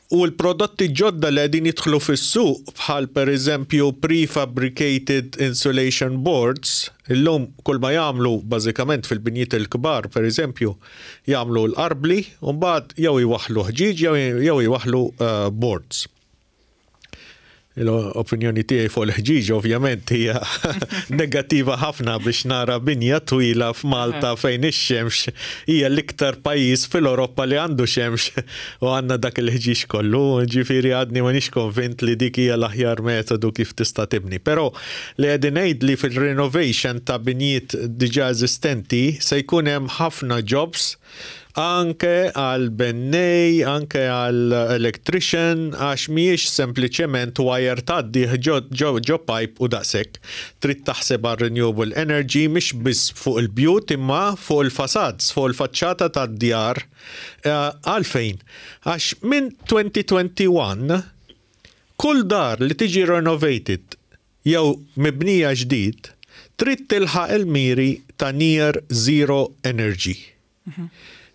U l-prodotti ġodda li qegħdin jidħlu fis-suq bħal per eżempju prefabricated insulation boards, illum kull ma jagħmlu bażikament fil-binjiet il-kbar, per eżempju, jagħmlu l-arbli u mbagħad jew iwaħħlu ħġieġ jew iwaħħlu boards. L-opinjoni tiegħi fuq il-ħġieġ ovvjament hija negattiva ħafna biex nara binja twila f'Malta fejn ix-xemx hija l-iktar pajjiż fil-Ewropa li għandu xemx u għandna dak il-ħġieġ kollu, ġifieri għadni m'għandix konvint li dik hija l-aħjar metodu kif tista' tibni. Però li qegħdin ngħid li fil-renovation ta' binjiet diġà eżistenti se jkun hemm ħafna jobs anke għal bennej, anke għal electrician, għax mhijiex sempliċement wire tgħaddi ġo pipe u daqshekk. Trid taħseb għal renewable energy mhix biss fuq il-bjut imma fuq il-facades, fuq il-faċċata tad-djar. Għalfejn? Għax minn 2021 kull dar li tiġi renovated jew mibnija ġdid trid tilħaq il-miri ta' near zero energy.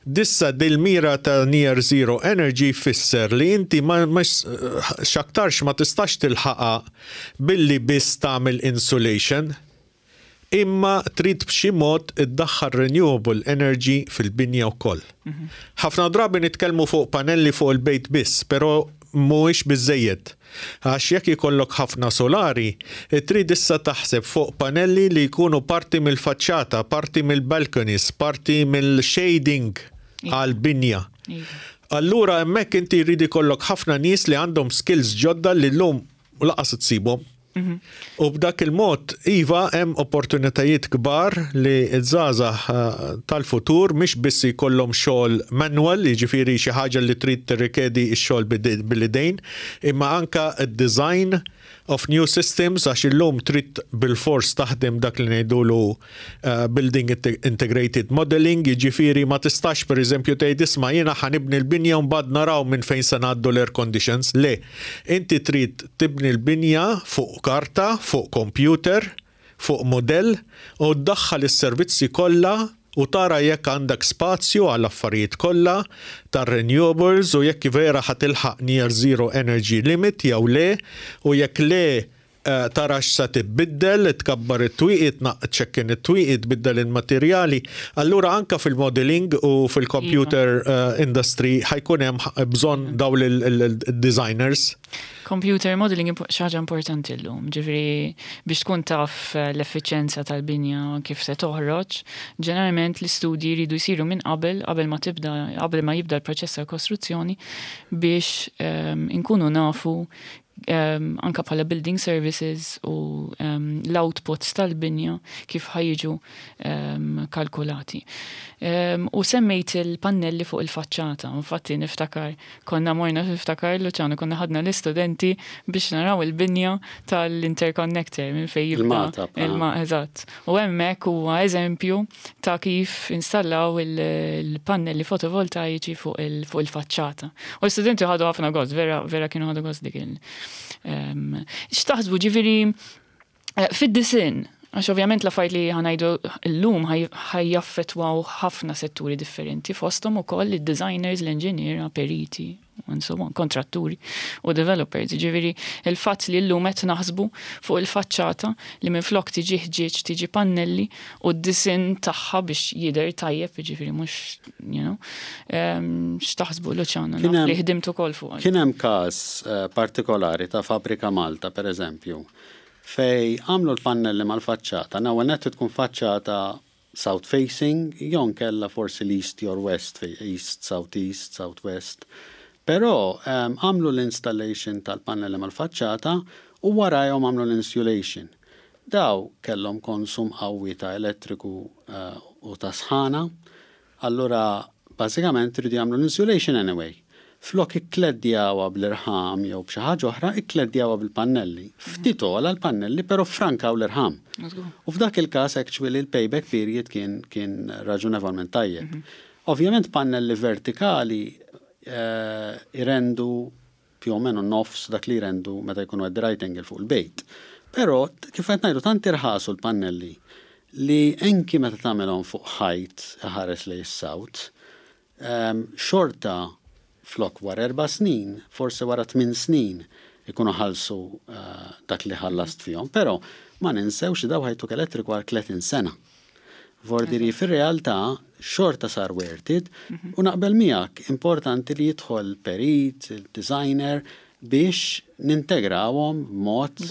Issa dil-mira ta' near zero energy fisser li inti ma xaktarx ma tistax tilħaqa billi biss tagħmel insulation, imma trid b'xi mod iddaħħal renewable energy fil-binja wkoll. Ħafna drabi nitkellmu fuq panelli fuq il-bejt biss, però mhuwiex biżejjed. Għax jekk ikollok ħafna solari, trid issa taħseb fuq panelli li jkunu parti mill-faċċata, parti mill-balconies, parti mill-shading għal-binja. Allura hemmhekk inti jrid ikollok ħafna nies li għandhom skills ġodda li llum lanqas issibhom. U b'dak il-mod, iva, hemm opportunitajiet kbar li ż-żgħażagħ tal-futur mhix biss jkollhom xogħol manual, jiġifieri xi ħaġa li trid tirrikjedi x-xogħol bil-idejn, imma anka d-design of new systems, għax illum trid bil-fors taħdem dak li ngħidulu building integrated modeling, jiġifieri ma tistax, pereżempju, tgħid, "Isma', jiena ħa nibni l-binja u mbagħad naraw minn fejn se ngħaddu l-air conditions." Le, inti trid tibni l-binja fuq karta, fuq computer, fuq modell u ddaħħal is-servizzi kollha u tara jekk għandek spazju għal affarijiet kollha tar-renewables u jekk vera ħa tilħaq near zero energy limit jew le, u jekk le tara x'sa tibbiddel, tkabbar it-twieqi, tċekken it-twieqi, tbiddel il-materjali. Allura anka fil-modeling u fil-computer industry ħa jkun hemm bżonn dawn il-designers. Computer modeling xi ħaġa importanti llum, ġifieri biex tkun taf l-effiċenza tal-binja kif se toħroġ, ġeneralment l-istudji jridu jsiru minn qabel, qabel ma tibda, qabel ma jibda l-proċess ta' kostruzzjoni, biex inkunu nafu anka bħala building services u l-outputs tal-binja kif ħa jiġu kalkulati. U semmejt il-pannelli fuq il-faċċata, infatti niftakar konna morna, niftakar, Luciano, konna ħadna l-istudenti biex naraw il-binja tal-interconnector minn fej jibda. Il-Magħtab. Il-ma, eżatt. U hemmhekk huwa eżempju ta' kif installaw il-pannelli fotovoltaiċi fuq il-faċċata. U l-istudenti ħadu ħafna gost, vera, vera kienu ħadu gost dik il. X'taħsbu, ġifieri, fid-disinn, għax ovvjament l-affarijiet li ħa ngħidu llum ħa jaffettwaw ħafna setturi differenti, fosthom ukoll id-designers, l-engineer, periti, and so on, kontratturi u developers. Ġifieri, il-fatt li llum qed naħsbu fuq il-faċċata li minn flok tiġi ħġieġ tiġi pannelli u d-disinn tagħha biex jidher tajjeb, ġifieri mhux, x'taħsbu, Luciano, li ħdimt ukoll fuq? Kien hemm każ partikolari ta' Fabrika Malta, per eżempju, fej għamlu l-pannelli mal-faċċata, nawa net tkun faċċata south facing, jew kella forsi l-east or west, fej east, south east, south west. Però għamlu l-installation tal-pannelli mal-faċċata u warajhom għamlu l-insulation. Daw kellhom konsum qawwi ta' elettriku u ta' sħana, allura bażikament iridu jagħmlu l-insulation anyway. Flok ikkleddjawha bl-irħam jew b'xi ħaġa oħra, ikkleddjawha bil-pannelli. Ftit ogħla l-pannelli, però frankaw l-irħam. U f'dak il-każ actually l-payback period kien raġunevolment tajjeb. Ovvjament pannelli vertikali irendu più o meno nofs dak li jrendu meta jkunu at the right angle fuq il-bejt. Però kif qed ngħidu, tant irħasu l-pannelli li anki meta tagħmelhom fuq ħajt ħares lejn is-south, xorta flok wara 4 snin, forse wara 8 snin ikunu ħallsu dak li ħallast fihom. Però ma ninsewx li daw ħa jtuk elettriku għal 30 sena. Vordiri, fir-realtà xorta sar worth it u naqbel miegħek, importanti li jidħol perit, il-designer, biex nintegrawhom b'mod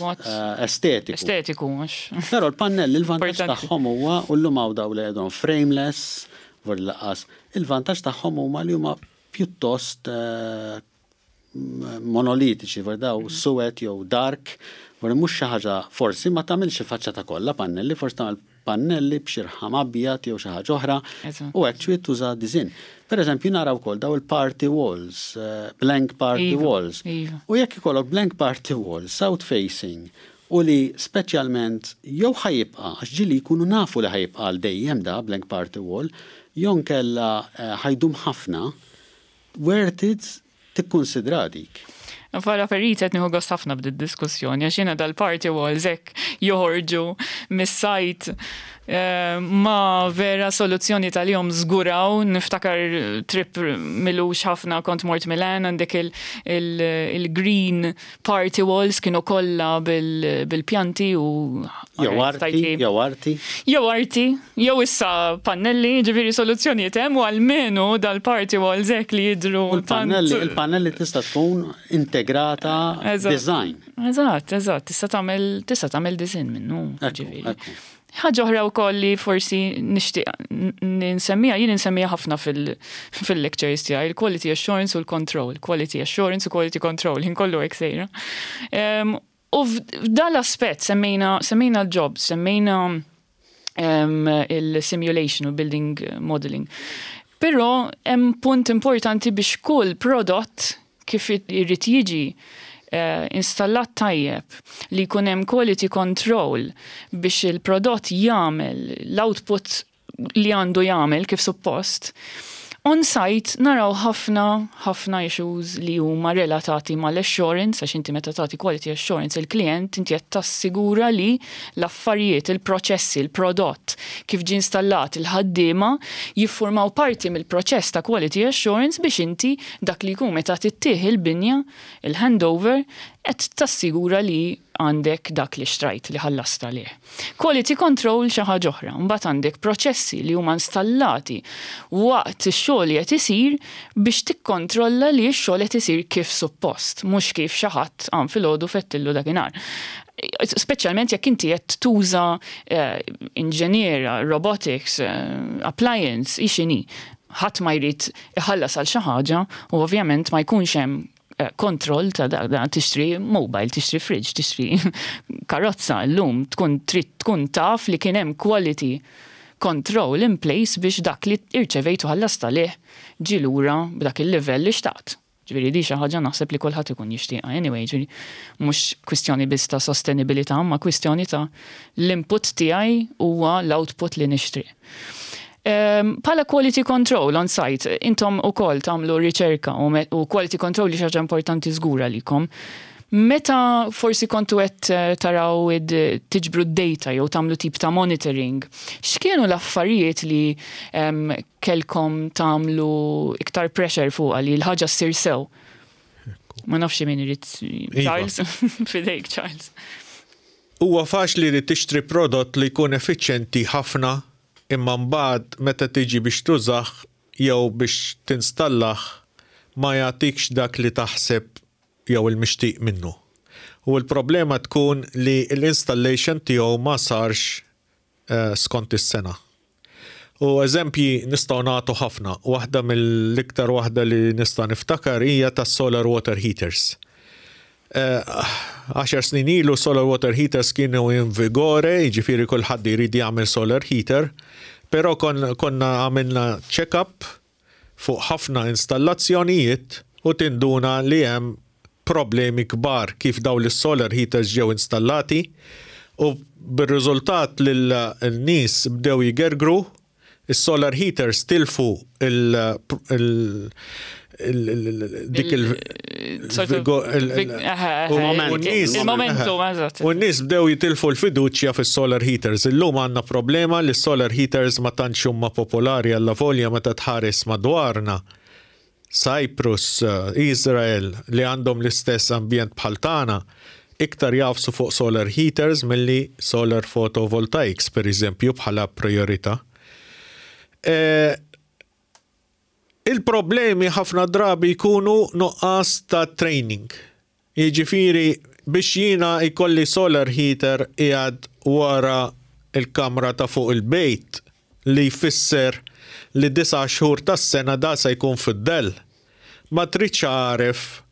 estetiku. Estetiku, mhux. Però l-pannelli, il-vantaġġ tagħhom huwa, u llum hawn daw li għedhom frameless, vor laqas, il-vantaġġ tagħhom huma li huma pjuttost monolitiċi, vor daw suwed jew dark, vor mhux xi ħaġa, forsi ma tagħmilx il-faċċata kollha pannelli, forsi tagħmel pannelli b'xi rħam abjad jew xi ħaġa oħra u actually tuża design. Per eżempju, naraw ukoll daw il-party walls, blank party walls. U jekk ikollok blank party walls, south facing, u li speċjalment jew ħa jibqa', għax ġieli jkunu nafu li ħa jibqa' għal dejjem da blank party wall, jew kella ħa jdum ħafna, worth it tikkonsidra dik. Bħala perit qed nieħu gost ħafna b'did diskussjoni, għax jiena dal-party walls hekk joħorġu mis-sajt ma vera soluzzjoni tal-jom żguraw. Niftakar trip m'ilux ħafna, kont mort Milan, għandek il-green party walls, kienu kollha bil-pjanti u Jew arti, jew arti. Jew arti, jew issa pannelli, ġifieri soluzzjonijiet hemm u almenu dal-party walls hekk li jidru. U l-pannelli, il-pannelli tista' tkun integrata design. Eżatt, tista' tagħmel design minnu, ġifieri. Ħaġa oħra wkoll li forsi nixtieq nsemmiha, jien insemmiha ħafna fil-lectures tiegħi, il-quality assurance u l-control, quality assurance u quality control, jien kollu hekk sejra. U f'dan l-aspett semmejna l-jobs, semmejna il-simulation u building modeling. Però hemm punt importanti biex kull prodott kif irid jiġi installat tajjeb, li jkun hemm quality control biex il-prodott jagħmel l-output li għandu jagħmel kif suppost. On site naraw ħafna ħafna issues li huma relatati mal-assurance, għax inti meta tagħti quality assurance il-klient, inti qed tassigura li l-affarijiet, il-proċessi, il-prodott kif ġie installat, il-ħaddiema jiffurmaw parti mill-proċess ta' quality assurance biex inti dak li jkun meta tittieħ il-binja, il-handover, qed tassigura li għandek dak li xtrajt, li ħallast għalih. Quality control xi ħaġa oħra, mbagħad għandek proċessi li huma installati waqt ix-xogħol li qed isir biex tikkontrolla li x-xogħol qed isir kif suppost, mhux kif xi ħadd qam filgħodu fettillu dakinhar. Speċjalment jekk inti qed tuża inġiniera, robotics, appliance, x'inhi. Ħadd ma jrid iħallas għal xi ħaġa u ovvjament ma jkunx hemm kontroll ta' da. Tixtri mobile, tixtri fridge, tixtri karozza llum, tkun trid tkun taf li kien hemm quality control in place biex dak li irċevejtu ħallast għalih ġi lura b'dak il-livell li xtaqt. Ġifieri di xi ħaġa naħseb li kulħadd ikun jixtieqha anyway, ġifieri mhux kwistjoni biss ta' sostenibilità, ma kwistjoni ta' l-input tiegħi huwa l-output li nixtri. Bħala quality control on site, intom ukoll tagħmlu riċerka u quality control li xi ħaġa importanti żgur għalikom. Meta forsi kontu qed taraw tiġbru d-data jew tagħmlu tip ta' monitoring, x'kienu l-affarijiet li kelkom tagħmlu iktar pressure fuqha li l-ħaġa ssir sew? Ma nafx min irid. Iva. Charles, fidejk, Charles. Huwa faċli li tixtri prodott li jkun effiċjenti ħafna, imma mbagħad meta tiġi biex tużah jew biex tinstallah ma jagħtikx dak li taħseb jew il-mixtieq minnu. U l-problema tkun li l-installation tiegħu ma sarx skont is-sengħa. U eżempji nistgħu nagħtu ħafna. Waħda mill-iktar waħda li nista' niftakar hija tas-solar water heaters. 10 snin ilu solar water heaters kienu in vigore, jiġifieri kulħadd jrid jagħmel solar heater, però konna għamilna check-up fuq ħafna installazzjonijiet u tinduna li hemm problemi kbar kif daw l-solar heaters ġew installati u bir-riżultat li l-nies bdew jgergru, is-solar heaters tilfu il, il, il, dik il Il-momentum, eżatt. U n-nies bdew jitilfu l-fiduċja fis-solar heaters. Illum għandna problema li solar heaters ma tantx huma popolari, alla volja meta tħares madwarna. Cyprus, Israel, li għandhom l-istess ambjent bħal tagħna, iktar jagħfsu fuq solar heaters milli solar photovoltaics, per eżempju, bħala priorità. Il-problemi ħafna drabi jkunu nuqqas ta' training. Jiġifieri biex jiena jkolli solar heater qiegħed wara il-kamra ta' fuq il-bejt, li jfisser li 9 xhur tas-sena da se jkun fid-dell. Ma tridx għaref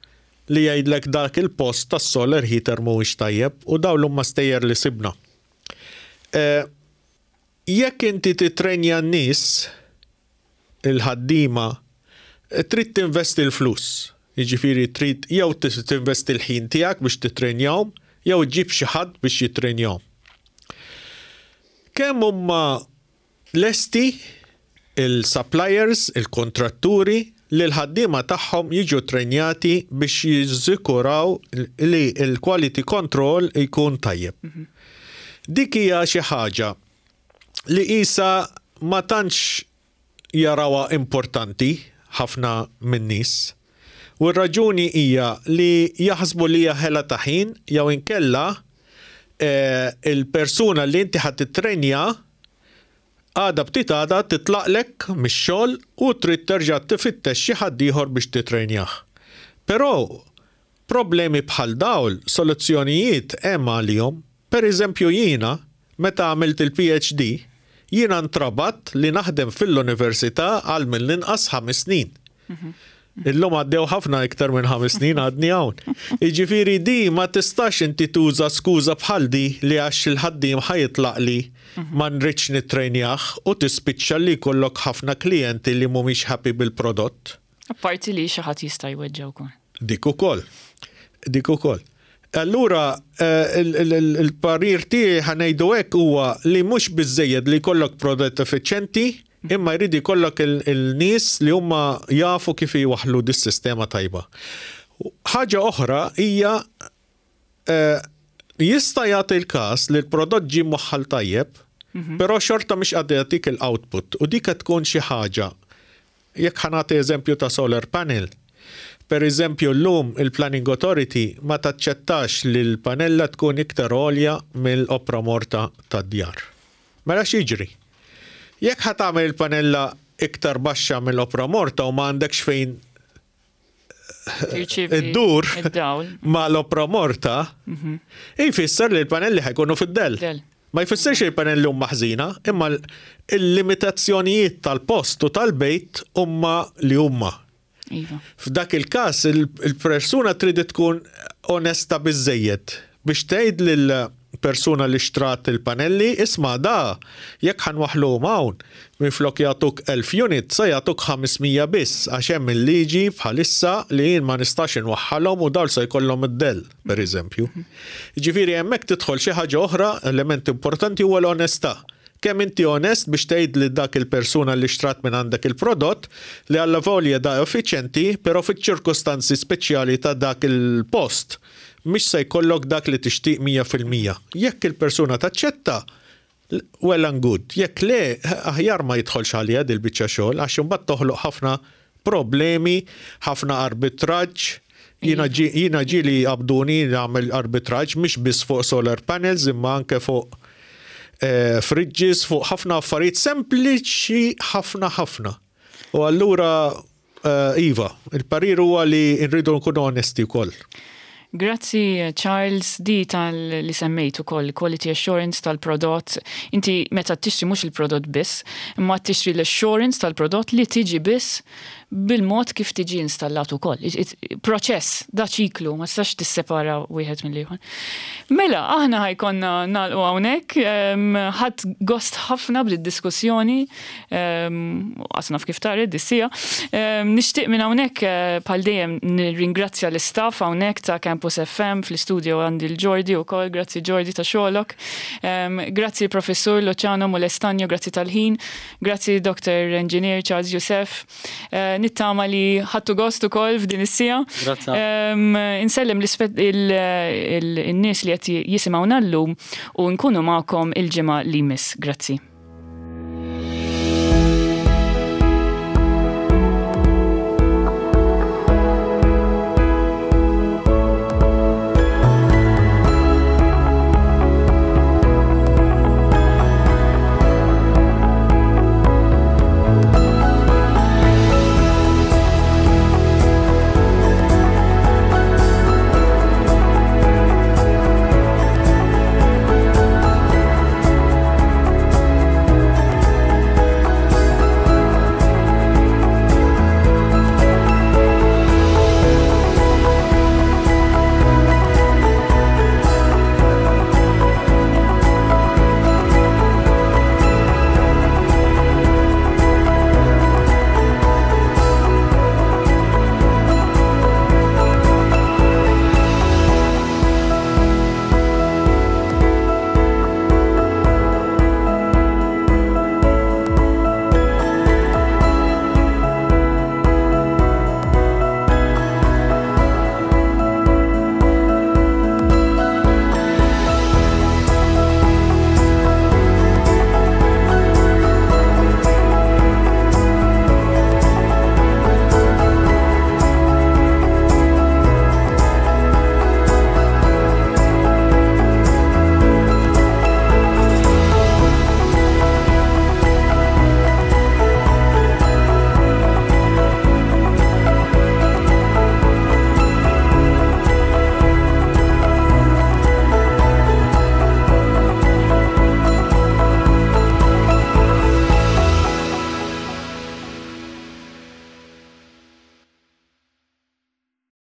li jgħidlek dak il-post tas-solar heater mhuwiex tajjeb, u dawn huma stejjer li sibna. Jekk inti titrenja n-nies, il-ħaddiema, trid tinvesti l-flus. Jiġifieri trid jew tinvesti l-ħin tiegħek biex titrenjahom jew ġib xi ħadd biex jitrenjahom. Kemm huma lesti il-suppliers, il-kontratturi, li l-ħaddiema tagħhom jiġu trenjati biex jiżikuraw li l-quality control jkun tajjeb? Dik hija xi ħaġa li isa ma tantx jarawha importanti ħafna min-nies. U r-raġuni hija li jaħsbu li hija ħela ta' ħin jew inkella il-persuna li inti ħadd titrenja għada ftit għada titlaqlek mix-xogħol u trid terġa' tifittex xi ħadd ieħor biex titrenjah. Però problemi bħal dawl, soluzzjonijiet hemm għalihom. Per eżempju jiena, meta għamilt il-PhD, jiena ntrabatt li naħdem fil-università għal mill-inqas 5 snin. Illum għaddew ħafna iktar minn 5 snin għadni hawn. Jiġifieri di ma tistax inti tuża skuża bħal di li għax il-ħaddiem ħa jitlaqli ma nridx nittrejnjah u tispiċċa li jkollok ħafna klijenti li mhumiex happy bil-prodott. Apparti li xi ħadd jista' jweġġa' wkoll. Dik ukoll. Dik ukoll. Allura il-parir tiegħi ħa ngħidu hekk huwa li mhux biżżejjed li jkollok prodott effiċjenti, imma jrid jkollok il-nies li huma jafu kif jwaħħlu dis-sistema tajba. Ħaġa oħra hija jista' jagħti l-każ li l-prodott ġie mwaħħal tajjeb, però xorta mhix qed jagħtik il-output u dik qed tkun xi ħaġa. Jekk ħa nagħti eżempju ta' solar panel, per eżempju llum il-Planning Authority ma taċċettax li l-panella tkun iktar għolja mill-opra morta tad-djar. Mela x'jiġri? Jekk ħa tagħmel il-panella iktar baxxa mill-opra morta u ma għandekx fejn iddur ma l-opra morta, jfisser li l-panelli ħa jkunu fid-dell. Ma jfissirx li l-panelli huma ħżina, imma l-limitazzjonijiet tal-post u tal-bejt huma li huma. Iva. F'dak il-każ il-persuna trid tkun onesta biżejjed biex tgħid lil persuna li xtrat il-panelli, isma' da jekk ħa nwaħħluhom hawn, minflok jagħtuk 1000 unit sa jagħtuk 500 biss għax hemm il-liġi bħalissa li jien ma nistax inwaħħalhom u dawn se jkollhom id-dell, pereżempju. Jiġifieri hemmhekk tidħol xi ħaġa oħra, element importanti huwa l-onestà. Kemm inti onest biex tgħid lil dak il-persuna li xtrat minn għandek il-prodott li allavolja da effiċjenti però fiċ-ċirkustanzi speċjali ta' dak il-post mhix se jkollok dak li tixtieq 100%. Jekk il-persuna taċċetta, well and good. Jekk le, aħjar ma jidħolx għaliha dil-biċċa xogħol għax imbagħad toħloq ħafna problemi, ħafna arbitraġġ. Jiena jiena ġieli qabduni nagħmel arbitraġġ mhix biss fuq solar panels imma anke fuq fridges, fuq ħafna affarijiet sempliċi ħafna ħafna. U allura iva, il-parir huwa li nridu nkunu onesti wkoll. Grazzi Charles, di tal li semmejt ukoll quality assurance tal-prodott. Inti meta tixtri mhux il-prodott biss, imma tixtri l-assurance tal-prodott li tiġi biss bil-mod kif tiġi installat ukoll. Proċess, da ċiklu, ma tistax tissepara wieħed mill-ieħor. Mela, aħna ħa jkollna nagħlqu hawnhekk, ħadt gost ħafna bid-diskussjoni. Qas naf kif taret dis-siegħa. Nixtieq minn hawnhekk bħal dejjem nirringrazzja l-istaff hawnhekk ta' Campus FM fl-istudio għandi l-Jordi wkoll, grazzi Jordi ta' xogħlok. Grazzi Professur Luciano Molestagno, grazzi tal-ħin. Grazzi Dr. Engineer Charles Youssef. Nittama li ħadtu gost ukoll f'din is-siegħa. Grazzi. Insellem il-nies li qed jisimgħuna llum u nkunu magħkom il-ġimgħa li jmiss. Grazzi.